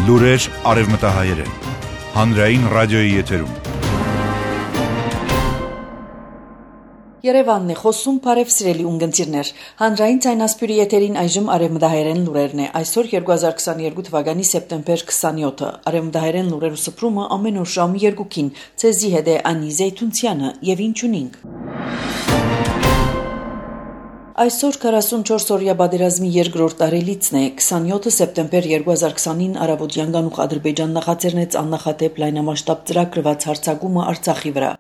Լուրեր արևմտահայերեն, հանրային ռադիոյի եթերում։ Երևանն է խոսում, բարև սիրելի ունգընտիրներ, հանրային ցայնասպյուրի եթերին այժմ արևմտահայերեն լուրերն է, այսօր 2022 թվականի սեպտեմբեր 27-ը, արևմտահայերեն լուրերու սփռումը ամեն օր ժամը 2-ին, ցեզի հետ է Անի Զեյթունցյանը եւ ինչ ունինք։ Այսօր 44-օրյա պատերազմի երկրորդ տարելիցն է, 27 սեպտեմբեր 2020-ին Արաբոդյան գանուխ Ադրբեջան նախաձեռնեց աննախադեպ լայնամասշտաբ ծրագրված հարձակումը Արցախի վրա։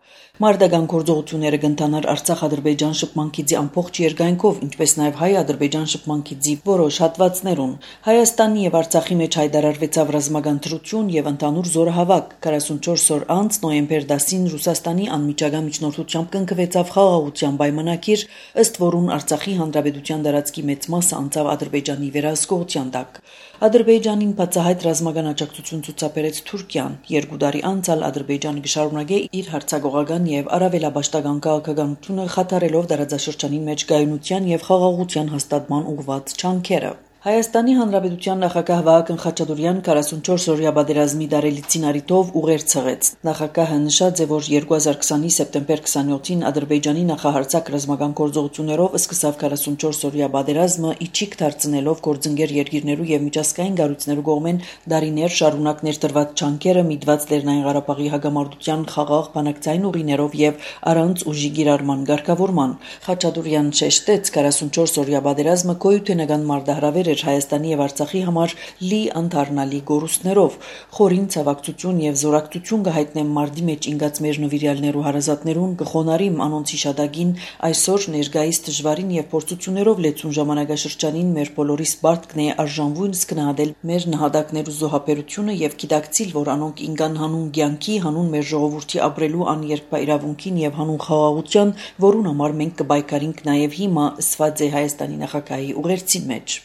Մարդական գործողությունները կընթանար Արցախ-Ադրբեջան շփման գծի ամբողջ երկայնքով, ինչպես նաև հայ-ադրբեջան շփման գծի որոշ հատվածներուն։ Հայաստանի եւ Արցախի մեջ հայտարարվեցավ ռազմական դրություն եւ ընդհանուր զորահավաք։ 44 օր անց նոյեմբեր 10-ին Ռուսաստանի անմիջական միջնորդությամբ կնքվեցավ խաղաղության պայմանագիր, ըստ որուն Արցախի Հանրապետության տարածքի մեծ մասը անցավ Ադրբեջանի վերահսկողության տակ։ Ադրբեջանին բացահայտ ռազմական աջակցություն ցուցաբերեց Թուրքիան։ 2 տարի անց Ադրբեջանը կշարունակե իր հարձակողական եւ առավելաբաշխական քաղաքականությունը խաթարելով տարածաշրջանի մեջ գայունության եւ խաղաղության հաստատման ուղղված ջանքերը։ Հայաստանի Հանրապետության նախագահ Վահագն Խաչատուրյան 44-օրյա պատերազմի տարելիցին առիթով ուղեր ցղեց։ Նախագահը նշած է, որ 2020-ի սեպտեմբեր 27-ին Ադրբեջանի նախահարձակ ռազմական գործողություններով սկսավ 44-օրյա պատերազմը, իջիկ դարձնելով գործընկեր երկիրներու եւ միջազգային կառույցներու կողմեն դարիներ շարունակ ներդրված ջանքերը միտված Լեռնային Ղարաբաղի հակամարտության խաղաղ բանակցային ուղիներով եւ առանց ուժի գիրառման ղեկավարման։ Խաչատուրյան շեշտեց 44-օրյա պատերազմը գոյութենական մարտահրավեր Հայաստանի եւ Արցախի համար լի անթարնալի գորուստներով, խորին ցավակցություն եւ զորակցություն կհայտնեմ մարտի մեջ ինգած մեր նվիրյալներու հարազատներուն կխոնարիմ անոնց հիշադակին այսօր ներկայիս դժվարին եւ փորձություններով լեցուն ժամանակաշրջանին մեր բոլորիս պարտքն է արժանվույնս գնահատել մեր նահատակներու զոհաբերությունը եւ գիտակցիլ, որ անոնք ինգան հանուն կյանքի, հանուն մեր ժողովրդի ապրելու աներկբա իրավունքին եւ հանուն խաղաղության, որուն համար մենք կբայկարինք նաեւ հիմա ըսված է Հայաստանի նախագահի ուղերձի մեջ։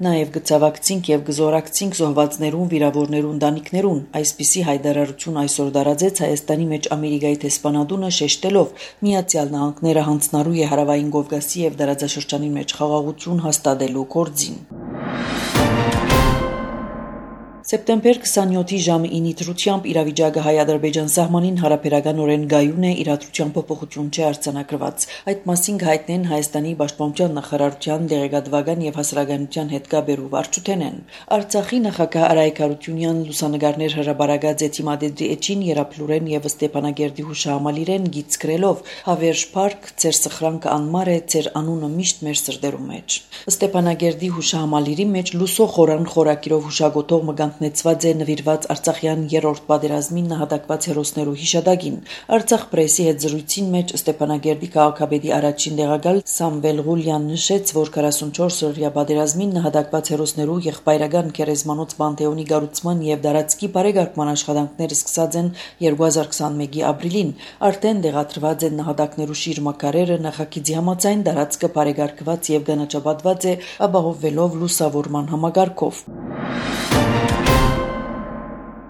Նաև գծավակցինք եւ գզորակցինք զոհվածներուն, վիրավորներուն, ընտանիքներուն, այսպիսի հայտարարություն այսօր դարաձեց Հայաստանի մեջ Ամերիկայի դեսպանատունը շեշտելով Միացյալ Նահանգները հանձնարարու է Հարավային Կովկասի եւ տարածաշրջանի մեջ խաղաղություն հաստատելու գործին։ Սեպտեմբեր 27-ի ժամը 9-ի դրությամբ իրավիճակը հայ-ադրբեջան սահմանին հարաբերականորեն գայուն է, իրադրության փոփոխություն չի արձանագրված։ Այդ մասին հայտնեն Հայաստանի Պաշտպանության նախարարության դեղեկատվական եւ հասարակայնության հետ կապերու վարչութենեն։ Արցախի նախագահ Արայք Հարությունյան լուսանգարներ հրաբարացած է Թիմադեդի էջին Երապլուրեն եւ Ստեփանագերդի հուշահամալիրեն գիծ գրելով «Հավերժ Փարք, ձեր սխրանքը անմար է, ձեր անունը միշտ մեր սրտերու մեջ»։ Ստեփանագերդի հուշահամալիրի մեջ լուսո խորան խորակիրով հուշագոտող նեցված է նվիրված Արցախյան երրորդ պատերազմին նահատակված հերոսներու հիշադակին։ Արցախ պրեսի հետ զրույցին մեջ Ստեփանագերդի քաղաքապետի առաջին տեղակալ Սամվել Ղուլյան նշեց, որ 44-օրյա պատերազմին նահատակված հերոսներու եղբայրական գերեզմանոց Պանթեոնի կառուցման եւ դարածքի բարեկարգման աշխատանքները սկսած են 2021-ի ապրիլին։ Արդեն տեղադրված են նահատակներու շիրմաքարերը, նախագիծի համաձայն դարածքը բարեկարգված եւ գանաչապատված է ապահովվելով լուսավորման համակարգով։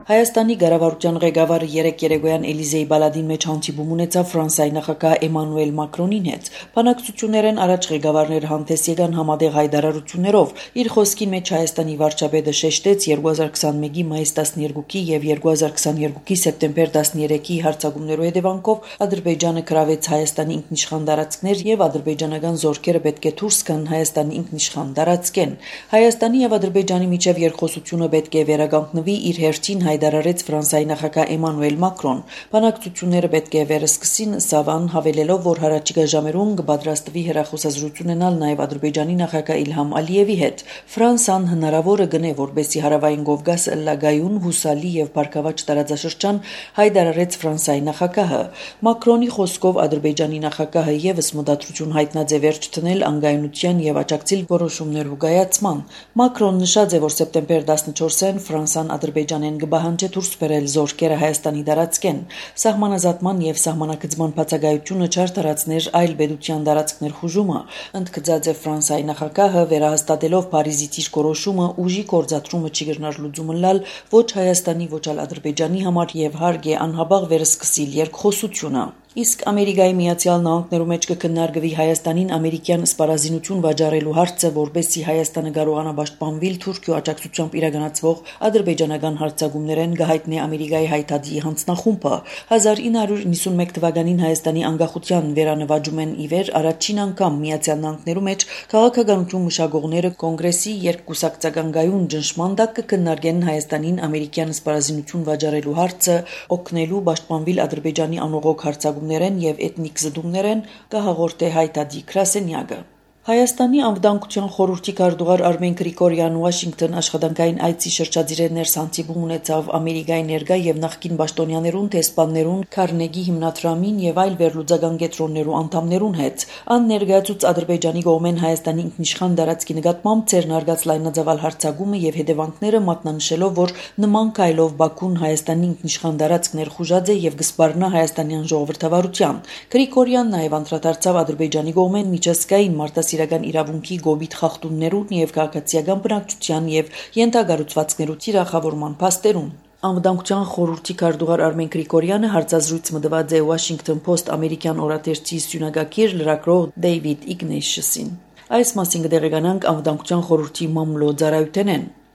Հայաստանի կառավարության ղեկավարը երեկ երեկոյան Էլիզեի բալադին մեջ հանդիպում ունեցավ Ֆրանսիայի նախագահ Էմանուել Մակրոնին հետ։ Բանակցություններն առաջ ղեկավարները հանդես եկան համատեղ հայտարարություններով։ Իր խոսքի մեջ Հայաստանի վարչապետը շեշտեց 2021-ի մայիս 12-ի եւ 2022-ի սեպտեմբեր 13-ի հարձակումներու հետևանքով Ադրբեջանը գրավեց Հայաստանի ինքնիշխան տարածքներ եւ ադրբեջանական զորքերը պետք է դուրս գան Հայաստանի ինքնիշխան տարածքեն։ Հայաստանի եւ Ադրբեջանի միջև երկխոսությունը պետք է վերականգնվի իր հերթին հայտարարեց Ֆրանսիայի նախագահ Էմանուել Մակրոն։ Բանակցությունները պետք է վերսկսին Սավան հավելելով, որ հառաջիկա ժամերուն կպատրաստվի հեռախոսազրույց ունենալ նաև Ադրբեջանի նախագահ Իլհամ Ալիևի հետ։ Ֆրանսան հնարավորը գնե, որբեսի Հարավային Կովկասը լագայուն, հուսալի եւ բարգավաճ տարածաշրջան հայտարարեց Ֆրանսիայի նախագահը։ Մակրոնի խոսքով Ադրբեջանի նախագահը եւս մտադրություն հայտնած է վերջ տնել անկայունության եւ աջակցիլ որոշումներու կայացման։ Մակրոն նշած է, որ սեպտեմբեր 14-ին Ֆրանսան Ադրբեջանեն պահանջը դուրս բերել զորքերը Հայաստանի տարածքեն, սահմանազատման եւ սահմանակցման բացակայությունը չար տարածներ այլ պետության տարածքներ խուժումը, ընդգծած է Ֆրանսիայի նախագահը վերահաստատելով Փարիզի դիրքորոշումը ուժի գործադրումը չի գտնար լուծումը լալ ոչ Հայաստանի ոչ էլ Ադրբեջանի համար եւ հարկ է անհաբաղ վերսկսիլ երկխոսությունը։ Իսկ Ամերիկայի Միացյալ Նահանգներու մեջ կքննարկվի Հայաստանին ամերիկյան սպառազինություն վաճառելու հարցը, որպեսզի Հայաստանը կարողանա պաշտպանվել Թուրքիո աջակցությամբ իրականացվող ադրբեջանական հարձակումներեն, կհայտնի Ամերիկայի հայտարարի հանձնախումբը 1991 թվականին Հայաստանի անկախության վերանվաճումեն ի վեր առաջին անգամ Միացյալ Նահանգներու մեջ քաղաքականություն մշակողները կոնգրեսի երկկուսակցական գայուն ճնշման տակ կքննարկեն Հայաստանին ամերիկյան սպառազինություն վաճառելու հարցը, օգնելու պաշտպանվել Ադրբեջանի անողոք հարձակումներեն եւ էթնիկ զդումներեն, կհաղորդե հայտարարի գրասենյակը։ Հայաստանի անվտանգության խորհրդի քարտուղար Արմեն Գրիգորյան Վաշինգտոն աշխատանքային այցի շրջադիրեն ներս հանդիպում ունեցավ Ամերիկայի ներկա եւ նախկին պաշտոնյաներուն, տեսփաններուն, Քարնեգի հիմնադրամին եւ այլ վերլուծական կենտրոններու անդամներուն հետ։ Ան ներկայացուց Ադրբեջանի կողմեն Հայաստանի ինքնիշխան տարածքի նկատմամբ ցերնարգած լայնածավալ հարձակումը եւ հետևանքները մատնանշելով, որ նման քայլով Բաքուն Հայաստանի ինքնիշխան տարածք ներխուժած է եւ կսպառնա հայաստանյան ժողովրդավարության։ Գրիգորյան նաեւ անդրադարձավ Ադրբեջանի կողմեն միջազգային մարդասիրական իրավունքի գոբիթ խախտումներուն եւ քաղաքացիական բնակչության եւ ենթակառուցվածքներու թիրախավորման փաստերուն։ Անվտանգության խորհրդի քարտուղար Արմեն Գրիգորյանը հարցազրույց մտված է Washington Post ամերիկյան օրաթերթի սյունագագիր լրագրող Դեյվիդ Իգնեշսին։ Այս մասին կդեղեկանանք անվտանգության խորհրդի մամլոյ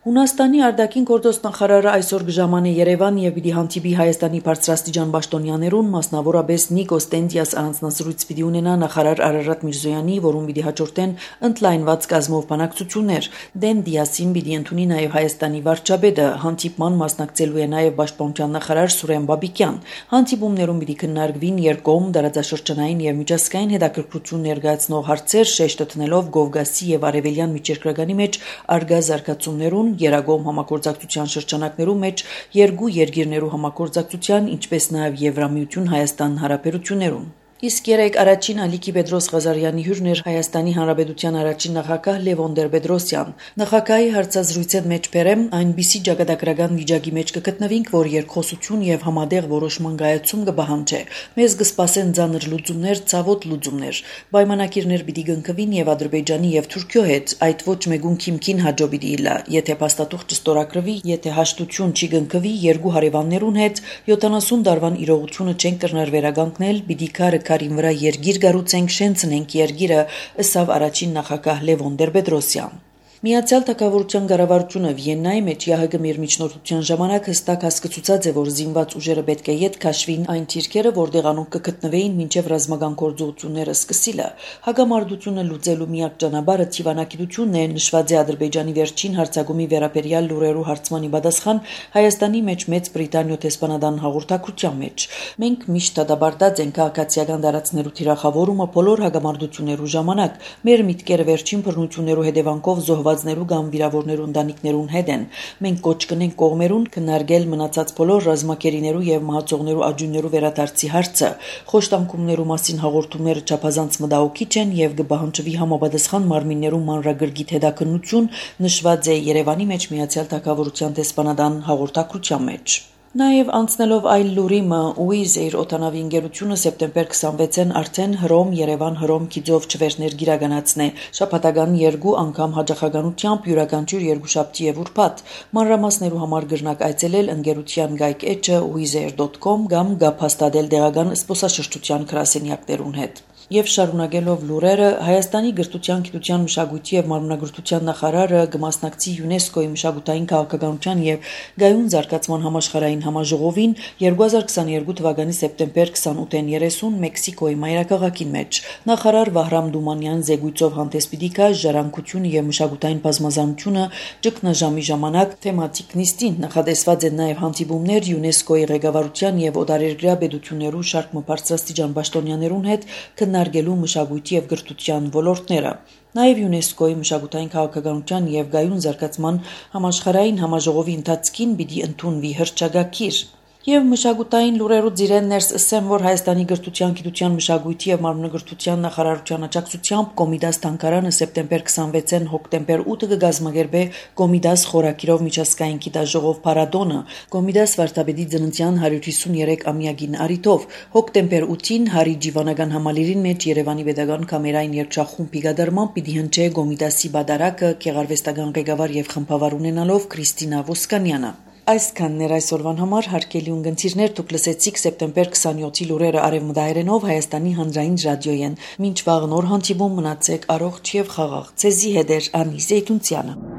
Հունաստանի արտաքին գործոս նախարարը այսօր կժամանի Երևան եւ պիտի հանդիպի Հայաստանի բարձրաստիճան պաշտոնյաներուն, մասնավորապես Նիկոս Տենտիաս առանձնազրույց պիտի ունենա նախարար Արարատ Միրզոյանի, որում պիտի հաջորդեն ընդլայնված կազմով բանակցություններ։ Տենտիասին պիտի ընդունի նաեւ Հայաստանի վարչապետը, հանդիպման մասնակցելու է նաեւ պաշտպանության նախարար Սուրեն Բաբիկյան։ Հանդիպումներում պիտի քննարկվին երկկողմ դարաձաշրջանային եւ միջազգային հետաքրքրություն ներկայացնող հարցեր, շեշտը դնելով Կովկասի եւ Արևելյան միջերկրականի մեջ արգա զարգացումներուն, Երագոմ համագործակցության շրջանակներու մեջ երկու երկիրներու համագործակցության, ինչպես նաև Եվրամիություն Հայաստան հարաբերություններուն։ Իսկ երեք առաջին Ալիքի Պետրոս Ղազարյանի հյուրն էր Հայաստանի Հանրապետության առաջին նախագահ Լևոն Տեր-Պետրոսյան։ Նախագահի հարցազրույցի մեջ բերեմ այնպիսի ճակատագրական վիճակի մեջ կգտնվենք, որ երկխոսություն եւ համատեղ որոշման գայացում կբահանջի։ Մեզ կսպասեն ծանր լուծումներ, ցավոտ լուծումներ։ Պայմանագիրներ պիտի կնքվին եւ Ադրբեջանի եւ Թուրքիո հետ, այդ ոչ մեկուն քիմքին հաջո պիտի իլա։ Եթե փաստաթուղթ չստորագրվի, եթե հաշտություն չի կնքվի երկու հարևաններուն հետ, 70 տարվան իրողությունը չեն կրնար վերականգնել, պիտի քարին վրա երգիր գառուցենք, շենցնենք երգիրը, ըսավ առաջին նախագահ Լևոն Տեր-Պետրոսյան։ Միացյալ Թագավորության կառավարությունը Վիեննայի մեջ ՀՀԳ միջնորդության ժամանակ հստակ հասկացուցած է, որ զինված ուժերը պետք է յետ քաշվին այն թիրքերը, որտեղ անոնք կգտնվեին մինչև ռազմական գործողությունները սկսելը։ Հագամարտությունը լուծելու միակ ճանապարհը թիվանակիտությունն է, նշված է Ադրբեջանի վերջին հարձակումի վերաբերյալ լուրերու հարցմանի պատասխան Հայաստանի մեջ Մեծ Բրիտանիո տեսփանադան հաղորդակցության մեջ։ Մենք միշտ դադարեցած ենք քաղաքացիական դարածներու թիրախավորումը բոլոր հագամարտություններու ժամանակ։ Մեր միտքերը վերջին բռնություններու հետևանքով զոհվածներու կամ վիրավորներու ընտանիքներուն հետ են։ Մենք կոչ կնենք կողմերուն քննարկել մնացած բոլոր ռազմակերիներու եւ մահացողներու աջուններու վերադարձի հարցը։ Խոշտանգումներու մասին հաղորդումները չափազանց մտահոգիչ են եւ կբահանջվի համապատասխան մարմիններու մանրագրգիռ հետաքննություն, նշված է Երևանի մեջ Միացյալ Թագավորության տեսփանադան հաղորդակցության մեջ։ Նաև անցնելով այլ լուրիմը Wizz Air օտանավի ընկերությունը սեպտեմբեր 26-ին արդեն Հռոմ-Երևան-Հռոմ գիծով չվերներ գիրականացնե շաբաթական 2 անգամ հաջողականությամբ յուրաքանչյուր երկուշաբթի եւ ուրբաթ մանրամասներու համար գրնակ այցելել ընկերության գայք-էջը wizzair.com կամ գափաստադել դեղական սպոսաշրջության գրասենյակներուն հետ։ Եվ շարունակելով լուրերը, Հայաստանի գրթության, գիտության, մշակույթի եւ մարմնագրթության նախարարը կմասնակցի ՅՈՒՆԵՍԿՕ-ի մշակութային քաղաքականության եւ գայուն զարգացման համաշխարհային համաժողովին 2022 թվականի սեպտեմբեր 28-ին 30 Մեքսիկոյի մայրաքաղաքին մեջ։ Նախարար Վահրամ Դումանյան զեկույցով հանդես պիտի գա ժառանգությունը եւ մշակութային բազմազանությունը ճգնաժամի ժամանակ թեմատիկ նիստին նախադեсված են նաեւ հանդիպումներ ՅՈՒՆԵՍԿՕ-ի ղեկավարության եւ օտարերկրյա պետություններու շարք բարձրաստիճան պաշտոնյաներուն հետ քննարկելու մշակույթի եւ գրթության ոլորտները։ Նաև ՅՈՒՆԵՍԿՕ-ի մշակութային քաղաքականության եւ գայուն զարգացման համաշխարհային համաժողովի ընթացքին պիտի ընդունվի հռչակագիր։ Եվ մշակութային լուրերուց իրեն ներս ասեմ, որ Հայաստանի գրթության, գիտության, մշակույթի եւ մարմնագրթության նախարարության աջակցությամբ Կոմիդաս թանգարանը սեպտեմբեր 26-ին հոկտեմբեր 8-ը կգազմագերբե Կոմիդաս խորակիրով միջազգային գիտաժողով փառատոնը Կոմիդաս վարդապետի ծննդյան 153-ամյակին առիթով հոկտեմբեր 8-ին Հարի Ջիվանական համալիրին մեջ Երևանի Պետական կամերային երգչախումբի գդարման պիտի հնչե Կոմիդասի բադարակը գեղարվեստական ղեկավար եւ խմբավար ունենալով Քրիստինա Ոսկանյանը։ Այսքանն էր այսօրվան համար, հարգելի ունգընտիրներ, դուք լսեցիք սեպտեմբեր 27-ի լուրերը արևմտահայերենով Հայաստանի հանրային ռադիոյեն։ Մինչ վաղ նոր հանդիպում, մնացեք առողջ եւ խաղաղ։ Ցեզի հետ էր Անի Զեյթունցյանը։